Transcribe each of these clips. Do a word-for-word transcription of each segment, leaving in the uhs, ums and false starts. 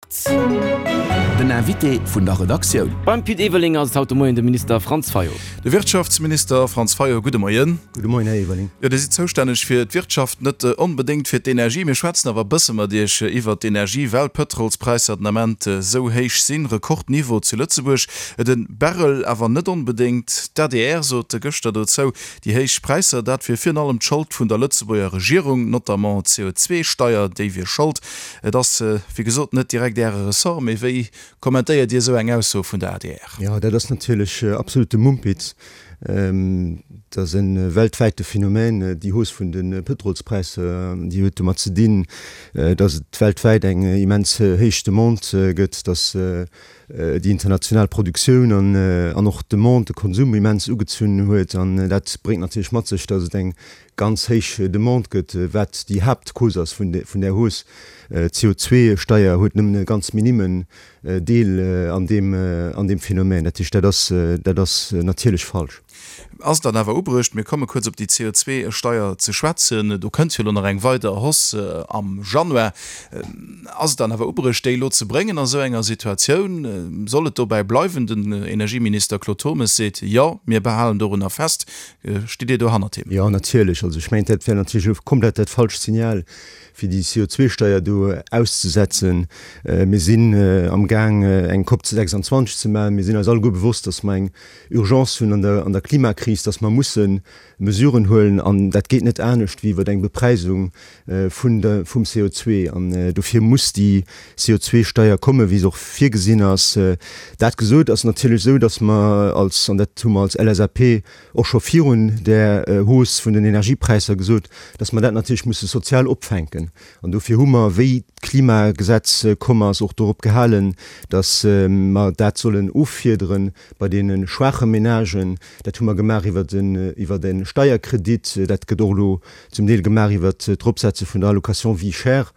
Den Invité vun der Redaktioun. Beim Pit Everling ass et haut de Moien de Minister Franz Fayot. De Wirtschaftsminister Franz Fayot, gudde Moien. Gudde Moien, Här Everling. Jo, Dir sidd zoustänneg fir d'Wirtschaft, net onbedéngt fir d'Energie. Mir schwätzen awer e bësse mat Iech iwwert d'Energie, well d'Pëtrolspräisser den Ament esou héich sinn, Rekordniveau zu Lëtzebuerg, de Barrel awer net onbedéngt. D'A D R sot gëschter dozou, déi héich Präisser, dat wier virun allem d'Schold vun der Lëtzebuerger Regierung, notamment d'C O zwei Steier, déi wier Schold. Et ass, wéi gesot, net direkt Äre Ressort, mee wéi kommentéiert Dir esou eng Ausso vun der A D R? Jo, dat ass natierlech absolute Mumpitz. Dat ass e weltwäite Phänomen, déi Hausse vun de Pëtrolspräisser. Déi huet domat ze dinn, datt et weltwäit eng immens héich Demande gëtt, datt déi international Produktioun an och d'Demande, de Konsum immens ugezunn huet. An dat bréngt natierlech mat sech, datt et eng ganz héich Demande gëtt, wat déi Haaptcause ass vun där Hausse. D'C O zwei Steier huet nëmmen e ganz minimen Deel an deem an deem Phänomen. Dat heescht, dat ass dat ass natierlech falsch. Ass et dann awer ubruecht, mir komme kuerz op déi C O zwei Steier ze schwätzen, do kënnt jo elo nach eng weider Hausse am Januar, ass et dann awer ubruecht, déi elo ze bréngen a sou enger Situatioun? Soll et dobäi bleiwen? Den Energieminister Claude Turmes seet, Jo, mir behalen dorunner fest. Stitt Dir do hannert him? Jo, natierlech. Also ech mengen, dat wär natierlech elo komplett dat falscht Signal, fir déi C O zwei Steier do auszesetzen. Mir sinn amgaang eng COP sechsundzwanzeg ze maachen. Mir sinn eis alleguer bewosst, datt mer eng Urgence hunn an der an der Klimakris, datt mer musse Mesuren huelen, an dat geet net anescht wéi iwwer eng Bepreisung vun der vum C O zwei. An dofir muss déi C O zwei Steier kommen, wéi se och virgesinn ass. Dat gesot, ass natierlech esou, datt mer als, an dat hu mer als L S A P och scho virun där Hausse vun den Energiepräisser gesot, datt mer dat natierlech musse sozial opfänken. An dofir hu mer, wéi d'Klimagesetz komm ass, och dorop gehalen, datt mer dat sollen offiedere bei deene schwaache Menagen. Dat hu mer gemaach iwwer den iwwer e Steierkredit. Dat gëtt och elo zum Deel gemaach iwwer d'Eropsetze vun der Allocation vie chère.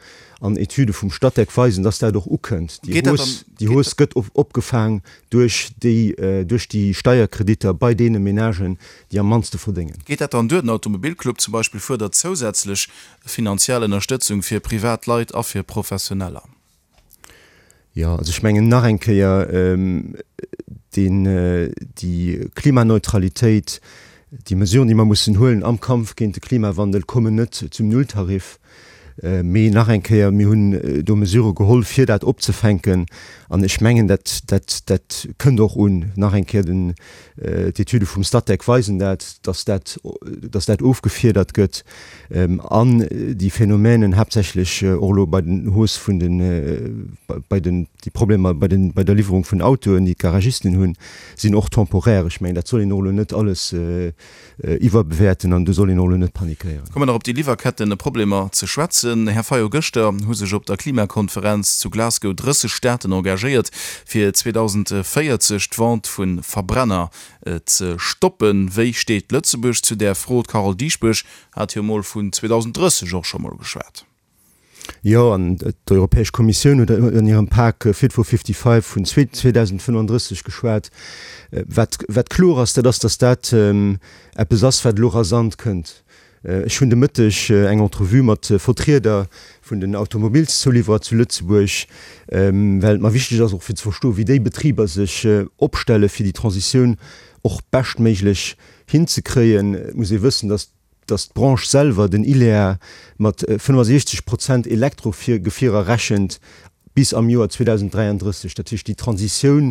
An Etüde vum Statec weisen, datt dat och ukënnt. Déi Hausse, déi Hausse gëtt opgefaang duerch déi duerch déi Steierkreditter bei deene Menagen, déi am mannste verdéngen. Geet dat dann duer? Den Automobilclub zum Beispill fuerdert zousätzlech finanziell Ënnerstëtzung fir privat Leit a fir Professioneller. Jo, also ech mengen nach eng Kéier, deen, déi Klimaneutralitéit, déi Mesuren, déi mer mussen huelen am Kampf géint de Klimawandel, kommen net zum Nulltarif. Mee nach eng Kéier, mir hunn do Mesurë geholl, fir dat opzefänken. An ech mengen, dat, dat, dat kënnt och un. Nach eng Kéier, den, d'Etüde vum Statec weisen dat, dass dat, dass dat ofgefiedert gëtt. An déi Phänomänen, haaptsächlech och elo bei den Hausse vun den, bei den, déi Problemer bei den, bei der Liwwerung vun Autoen, déi d'Garagisten hunn, sinn och temporaire. Ech mengen, dat soll een och elo net alles iwwerbewäerten an do soll een och elo net panikéieren. Kommen nach op déi Liwwerkettenproblemer ze schwätzen, Här Fayot. Gëschter hu sech op der Klimakonferenz zu Glasgow drësseg Staaten engagéiert, fir zweedausendvéierzeg d'Vente vu Verbrenner ze stoppen. Wéi steet Lëtzebuerg zu där Fro? D'Carole Dieschbourg hat jo mol vun zweedausendrësseg och scho mol geschwat. Jo, an d'Europäesch Kommissioun huet an hirem Pak Fit for fifty-five vun zweedausendfënnefundrësseg geschwat. Wat, wat kloer ass, dat ass, datt dat eppes ass, wat elo rasant kënnt. Ech hunn de Mëtteg eng Entrevue mat Vertrieder vun den Automobilszouliwwerer zu Lëtzebuerg, well et mer wichteg ass, och fir ze verstoen, wéi déi Betriber sech opstelle fir déi Transitioun och beschtméiglech hinzekréien. Et muss ee wëssen, datt datt d'Branche selwer, den ILEA, mat fënnefasiechzeg Prozent Elektrogefierer rechent bis am Joer zweedausenddräiandrësseg. Dat heescht, déi Transitioun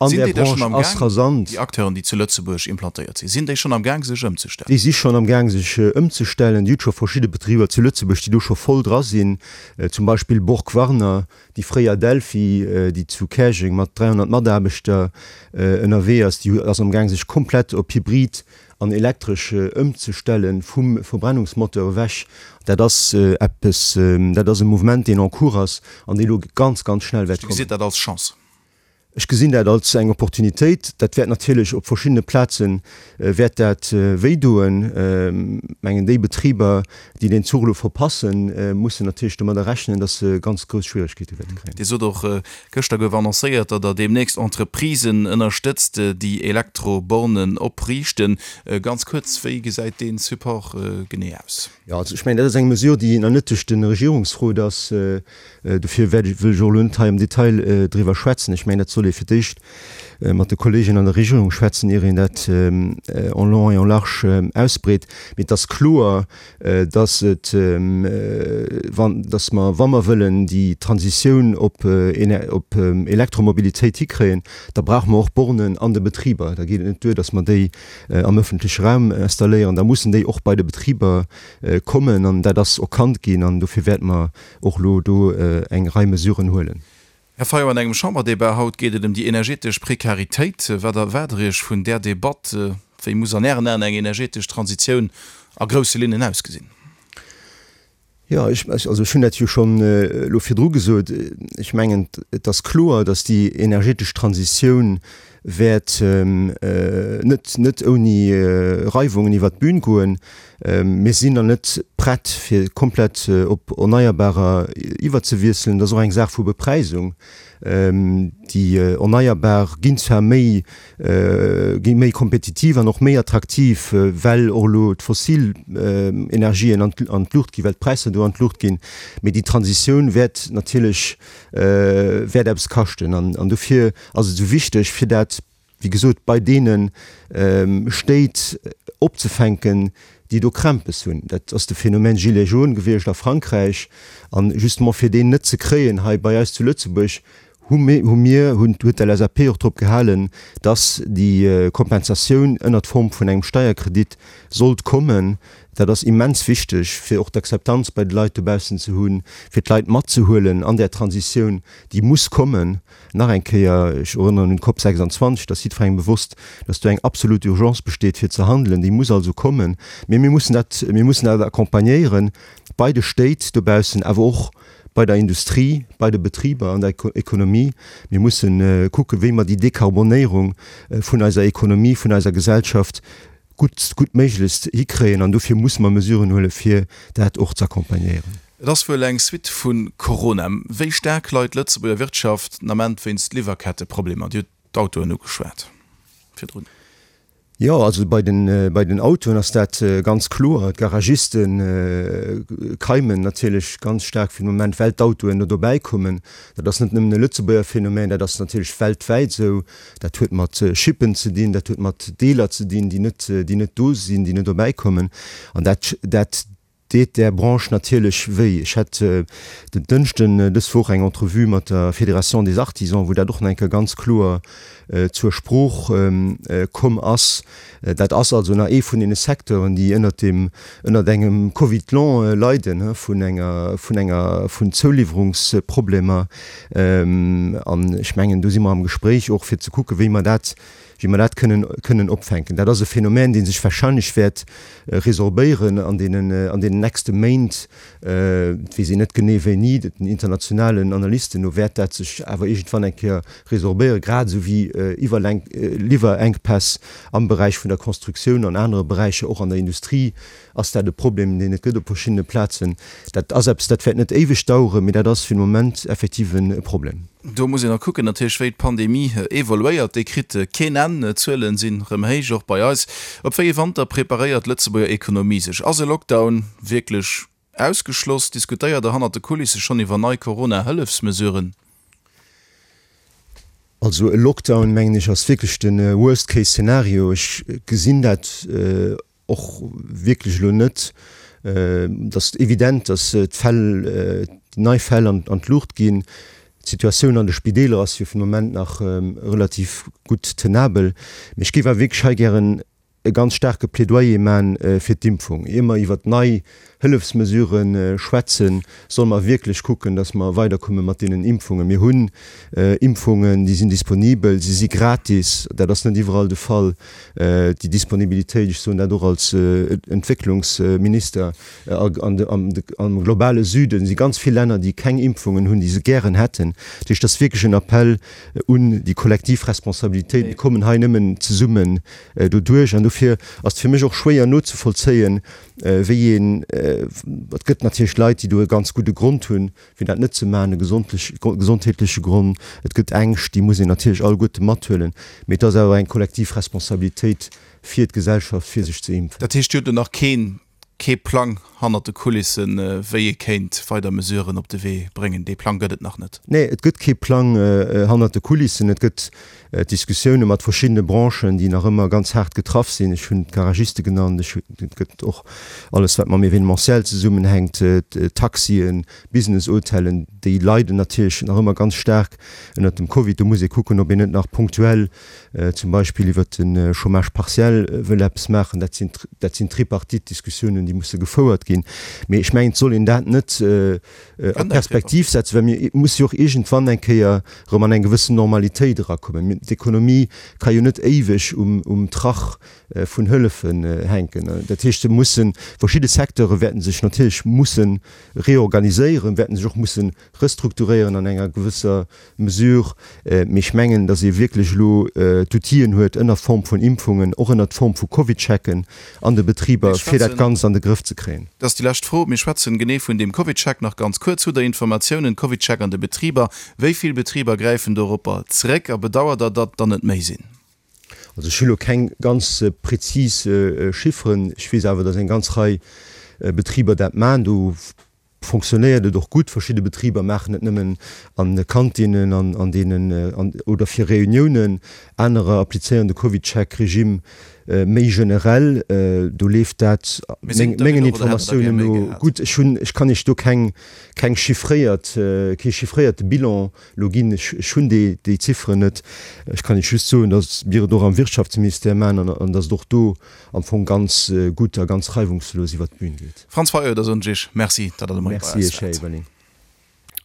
an Sinn där déi da schonn Branche am ass Gaang, rasant. déi Acteuren, déi zu Lëtzebuerg implantéiert sinn, sinn déi schonn am Gaang sech ëmzestellen? Déi si schonn am Gaang sech ëmzestellen. Dir hutt scho verschidde Betriber zu Lëtzebuerg, déi do scho voll dra sinn, zum Beispill Borg-Warner, déi fréier Delphi, déi zu Käerjeng mat dräihonnert Mataarbechter ënnerwee ass, déi ass am Gaang sech komplett op Hybrid an elektresch ëmzestellen, vum Verbrennungsmoteur ewech. Dat ass eppes, dat ass e Mouvement, deen en cours ass an dee elo ganz, ganz schnell wäert Dir kommen. gesitt dat als Chance? Ech gesinn dat als eng Opportunitéit. Dat wäert natierlech op verschiddene Plaze wäert dat wéidoen. Ech mengen, déi Betriber, déi deen Zuch elo verpassen, mussen natierlech domadder rechnen, datt se ganz grouss Schwieregkeete wäerte kréien. Dir sot och, gëschter gouf annoncéiert, datt Der deemnächst Entreprisen ënnerstëtzt, déi Elektrobornen opriichten. Ganz kuerz, wéi gesäit dee Support genee aus? Jo, also ech mengen, dat ass eng Mesure, déi nach net duerch de Regierungsrot ass. Dofir wäert ech, wëll ech och elo net hei am Detail driwwer schwätzen. Ech mengen, dat soll ee fir d'éischt mat de Kolleegen an der Regierung schwätzen, ier een dat en long et en large ausbreet. Mee et ass kloer, dass et, wann, dass mer, wa mer wëllen déi Transitioun op op Elektromobilitéit hikréien, da brauche mer och Bornen an de Betriber. Da geet et net duer, dass mer déi am öffentleche Raum installéieren, da mussen déi och bei de Betriber kommen an dat ass erkannt ginn an dofir wäerte mer och elo do eng Rei Mesuren huelen. Här Fayot, an engem Chamberdebat haut geet et ëm déi energetesch Prekaritéit. Wat erwaart Der Iech vun där Debatt? Wéi muss an Ären Aen eng energetesch Transitioun a grousse Linnen ausgesinn? Jo, ech, also ech hunn dat jo schonn elo virdru gesot. Ech mengen, et ass kloer, datt déi energetesch Transitioun wäert net, net ouni Reiwungen iwwert d'Bün goen. Mir sinn nach net prett, fir komplett op Erneierbarer iwwerzewiesselen. Dat ass och eng Saach vu Bepräisung. Déi Erneierbar ginn zwar méi, gi méi kompetitiv an och méi attraktiv, well och elo d'fossil Energien an d'Luucht ginn, well d'Präisser do an d'Luucht ginn, mee déi Transitioun wäert natierlech, wäert eppes kaschten. An dofir ass et esou wichteg, fir dat, wéi gesot, bei deene Stéit opzefänken, déi do Krämpes hunn. Dat ass de Phänomen Gilets jaunes gewiescht a Frankräich. An justement fir deen net ze kréien hei bei eis zu Lëtzebuerg, hu mir, huet d'LSAP och drop gehalen, dass déi Kompensatioun ënnert Form vun engem Steierkredit sollt kommen. Dat ass immens wichteg, fir och d'Akzeptanz bei de Leit dobaussen ze hunn, fir d'Leit matzehuelen an där Transitioun, déi muss kommen. Nach eng Kéier, ech erënneren un d'Cop sechsundzwanzeg, et ass jiddwerengem bewosst, dass do eng absolut Urgence besteet, fir ze handelen. Déi muss also kommen. Mee mir mussen dat, mir mussen dat accompagnéieren bei de Stéit dobaussen, awer och bei der Industrie, bei de Betriber, an der Ekonomie. Mir mussen kucken, wéi mer déi Dekarbonéierung vun eiser Ekonomie, vun eiser Gesellschaft gutt, gutt méiglechst hikréien. An dofir musse mer Mesuren huelen, fir dat och z'accompagnéieren. Et ass wuel eng Suite vu Corona. Wéi staark leit d'Lëtzebuerger Wirtschaft den Ament wéinst Liwwerketteproblemer? Dir hutt d'Autoen ugeschwat virdrun. Jo, also bei den, bei den Autoen ass dat ganz kloer. D'Garagiste keimen natierlech ganz staark fir de Moment, well d'Autoen no dobäi kommen. Dat ass net nëmmen e Lëtzebuerger Phänomen, dat ass natierlech weltwäit esou. Dat huet mat Chippen ze dinn, dat huet mat Deeler ze dinn, déi net, déi net do sinn, déi net dobäi kommen. An dat, dat deet där Branche natierlech wéi. Ech hat den Dënschden dës Woch eng Entrevue mat der Fédération des Artisans, wou dat och nach eng Kéier ganz kloer zur Sprooch komm ass. Dat ass also nach ee vun deene Secteuren, déi ënnert dem, ënnert engem Covid long leiden, vun enger, vun enger, vun Zouliwwerungsproblemer. An ech mengen, do si mer am Gespréich och, fir ze kucken, wéi mer dat, wéi mer dat kënnen, kënnen opfänken. Dat ass e Phänomen, dee sech wahrscheinlech wäert resorbéieren an deenen, an deenen nächste Méint. Et weess een net genee wéini, den internationalen Analysten no wäert dat sech awer iergendwann eng Kéier resorbéieren, grad esou wéi Iwwerlenk, Liwwerenkpäss am Beräich vun der Constructioun, an anere Beräicher, och an der Industrie ass dat e Problem, deen et gëtt op verschiddene Plazen. Dat ass eppes, dat wäert net éiweg daueren, mee dat ass fir de Moment effektiv e Problem. Do muss een nach kucken natierlech, wéi d'Pandemie evoluéiert. Déi kritt keen Enn. D'Zuelen sinn erëm héich, och bei eis. Op wéi ee Wanter preparéiert d'Lëtzebuerger Ekonomie sech? Ass e Lockdown wierklech ausgeschloss? Diskutéiert Der hannert de Kulisse schonn iwwer nei Corona-Hëllefsmesuren? Also e Lockdown, mengen ech, ass wierklech de Worst-Case-Szenario. Ech gesinn dat och wierklech elo net. Et ass evident, datt d'Fäll, déi nei Fäll an d'Luucht ginn. D'Situatioun an de Spideeler ass jo fir de Moment nach relativ gutt tenabel. Mee ech géif awer wierklech hei gären e ganz staarke Plädoyer man fir d'Impfung. Ier mer iwwert nei Hëllefsmesurë schwätzen, solle mer wierklech kucken, dass mer weiderkomme mat deenen Impfungen. Mir hunn Impfungen, déi sinn disponibel, si si gratis. Dat ass net iwwerall de Fall. Déi Disponibilitéit, ech soen dat och als Entwécklungsminister, am globale Süden si ganz vill Länner, déi keng Impfungen hunn, déi se gären hätten. Dat heescht, dat ass wierklech en Appell un déi kollektiv Responsabilitéit. Mir kommen hei nëmmen zesummen doduerch. An dofir ass et fir mech och schwéier nozevollzéien, wéi een, et gëtt natierlech Leit, déi do e ganz gudde Grond hunn, fir dat net ze maachen, e gesondheetleche Grond, et gëtt Ängscht, déi muss een natierlech alleguerte mathuelen, mee et ass awer eng kollektiv Responsabilitéit fir d'Gesellschaft, fir sech ze impfen. Dat heescht, Dir hutt elo nach keen, kee Plang hannert de Kulissen, wéi ee kéint weider Mesuren op de Wee bréngen? Dee Plang gëtt et nach net? Nee, et gëtt kee Plang hannert de Kulissen. Et gëtt Diskussioune mat verschiddene Branchen, déi nach ëmmer ganz haart getraff sinn. Ech hunn d'Garagiste genannt, ech hunn, et gëtt och alles, wat mam Événementiel zesummenhänkt, d'Taxien, Business-Hotellen, déi leiden natierlech nach ëmmer ganz staark ënnert dem Covid. Do muss ee kucken, ob een net nach punktuell zum Beispill iwwert de Chômage partiel wëll eppes maachen. Dat sinn, dat sinn Tripartite-Diskussiounen, déi musse gefouert ginn. Mee ech mengen, et soll een dat net a Perspektiv setzen, well mir musse jo och iergendwann eng Kéier erëm an eng gewëssen Normalitéit erakommen. D'Ekonomie ka jo net éiweg um Trach vun Hëllefen hänken. Dat heescht, se mussen, verschidde Secteure wäerten sech natierlech musse reorganiséieren, wäerten sech och musse restrukturéieren an enger gewësser Mesure. Mee ech mengen, datt ee wierklech elo d'Outill'en huet, ënner Form vun Impfungen, och ënnert Form vu Covidchecken an de Betriber, fir dat Ganzt an de Grëff ze kréien. Dat ass déi lescht Fro. Mir schwätzen genee vun deem Covidcheck nach ganz kuerz. Hutt Der Informatiounen, Covidcheck an de Betriber, wéi vill Betriber gräifen doropper zréck a bedauert Der, datt der net méi sinn? Also ech hu lo keng ganz prezis Chifferen. Ech weess awer, datt eng ganz Rei Betriber dat maachen. Do fonctionnéiert et och gutt. Verschidde Betriber maachen et nëmmen an de Kantinnen an an deenen oder fir Reuniounen. Anerer applizéieren de CovidCheck-Regime méi generell. Do leeft dat mengen Informatiounen no gutt. Ech hunn, ech kann Iech do keng keng chiffréiert, kee chiffréierte Bilan elo ginn. Ech ech hunn déi déi Zifferen net. Ech kann Iech just soen, datt mir et och am Wirtschaftsministère maachen an an datt et och do am Fong ganz gutt a ganz reiwungslos iwwert d'Bün geet. Franz Fayot, da soen ech Iech Merci, datt Der de Moie bei Merci eis Iech, Här waart. Everling.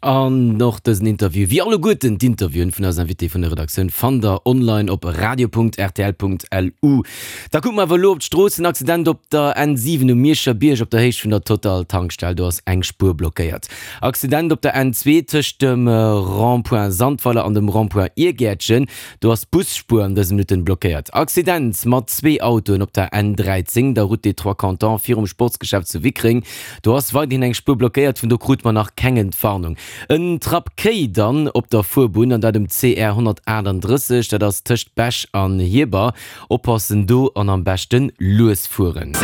An och dësen Interview, wéi alleguerten d'Interviewen vun eisen Invité vun der Redaktioun, fannt der online op radio.rtl.lu. Da kucke mer awer elo op d'Strooss. En Accident op der N siwen um Mierscher Bierg op der Héicht vun der Total Tankstell, do ass eng Spuer blockéiert. Accident op der N zwee tëscht dem Rond-point Sandweiler an dem Rond-point Iergäertchen, do ass d'Busspuer an dëse Minutten blockéiert. Accident mat zwee Autoen op der N dräizéng, der Route des Trois Cantons virum Sportsgeschäft zu Wickreng, do ass weiderhin eng Spuer blockéiert, vun do krute mer nach keng Entwarnung. En Trapp Kéi dann op der Fuerbunn, an dat um C R honnertaachtanddrësseg, dat ass tëscht Bech an Hierber. Oppassen do an am beschten lues fueren.